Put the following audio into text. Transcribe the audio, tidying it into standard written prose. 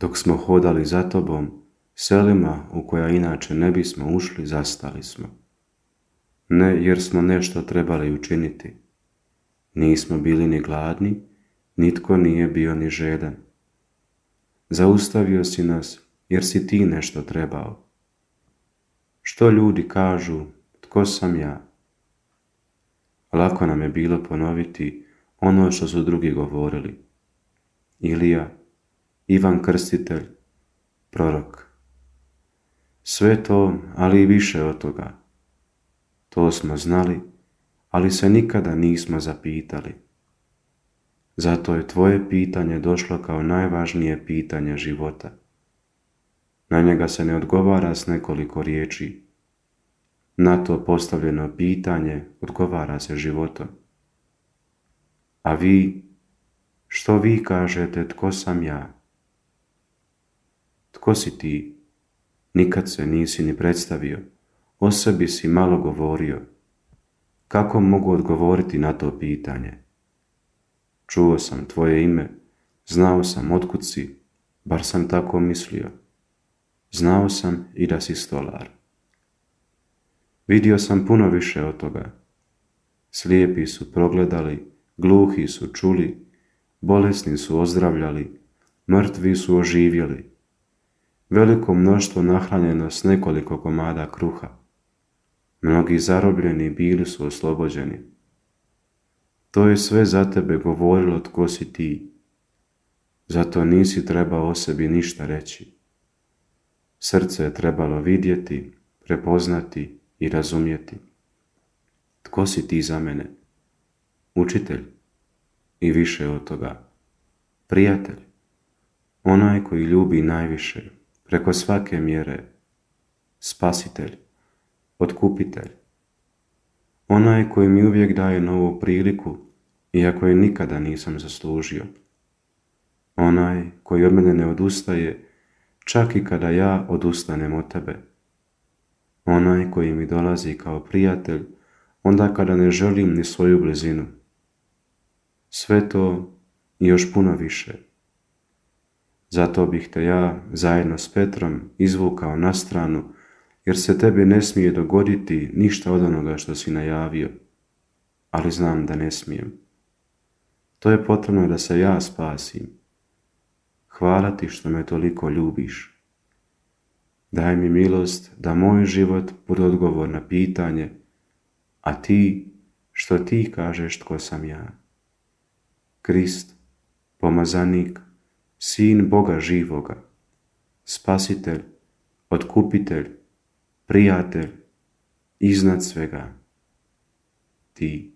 Dok smo hodali za tobom, selima u koja inače ne bismo ušli, zastali smo. Ne jer smo nešto trebali učiniti. Nismo bili ni gladni, nitko nije bio ni žedan. Zaustavio si nas jer si ti nešto trebao. Što ljudi kažu, tko sam ja? Lako nam je bilo ponoviti ono što su drugi govorili. Ilija, Ivan Krstitelj, prorok. Sve to, ali i više od toga. To smo znali, ali se nikada nismo zapitali. Zato je tvoje pitanje došlo kao najvažnije pitanje života. Na njega se ne odgovara s nekoliko riječi. Na to postavljeno pitanje odgovara se životom. A vi, što vi kažete, tko sam ja? Tko si ti? Nikad se nisi ni predstavio, o sebi si malo govorio. Kako mogu odgovoriti na to pitanje? Čuo sam tvoje ime, znao sam otkud si, bar sam tako mislio. Znao sam i da si stolar. Vidio sam puno više od toga. Slijepi su progledali, gluhi su čuli, bolesni su ozdravljali, mrtvi su oživjeli. Veliko mnoštvo nahranjeno s nekoliko komada kruha. Mnogi zarobljeni bili su oslobođeni. To je sve za tebe govorilo tko si ti. Zato nisi trebao o sebi ništa reći. Srce je trebalo vidjeti, prepoznati i razumjeti. Tko si ti za mene? Učitelj i više od toga. Prijatelj, onaj koji ljubi najviše, preko svake mjere. Spasitelj, otkupitelj. Onaj koji mi uvijek daje novu priliku, iako je nikada nisam zaslužio. Onaj koji od mene ne odustaje, čak i kada ja odustanem od tebe. Onaj koji mi dolazi kao prijatelj, onda kada ne želim ni svoju blizinu. Sve to i još puno više. Zato bih te ja, zajedno s Petrom, izvukao na stranu, jer se tebi ne smije dogoditi ništa od onoga što si najavio, ali znam da ne smijem. To je potrebno da se ja spasim. Hvala ti što me toliko ljubiš. Daj mi milost da moj život bude odgovor na pitanje, a ti, što ti kažeš tko sam ja. Krist, pomazanik, Sin Boga živoga, Spasitelj, Otkupitelj, Prijatelj, iznad svega, ti.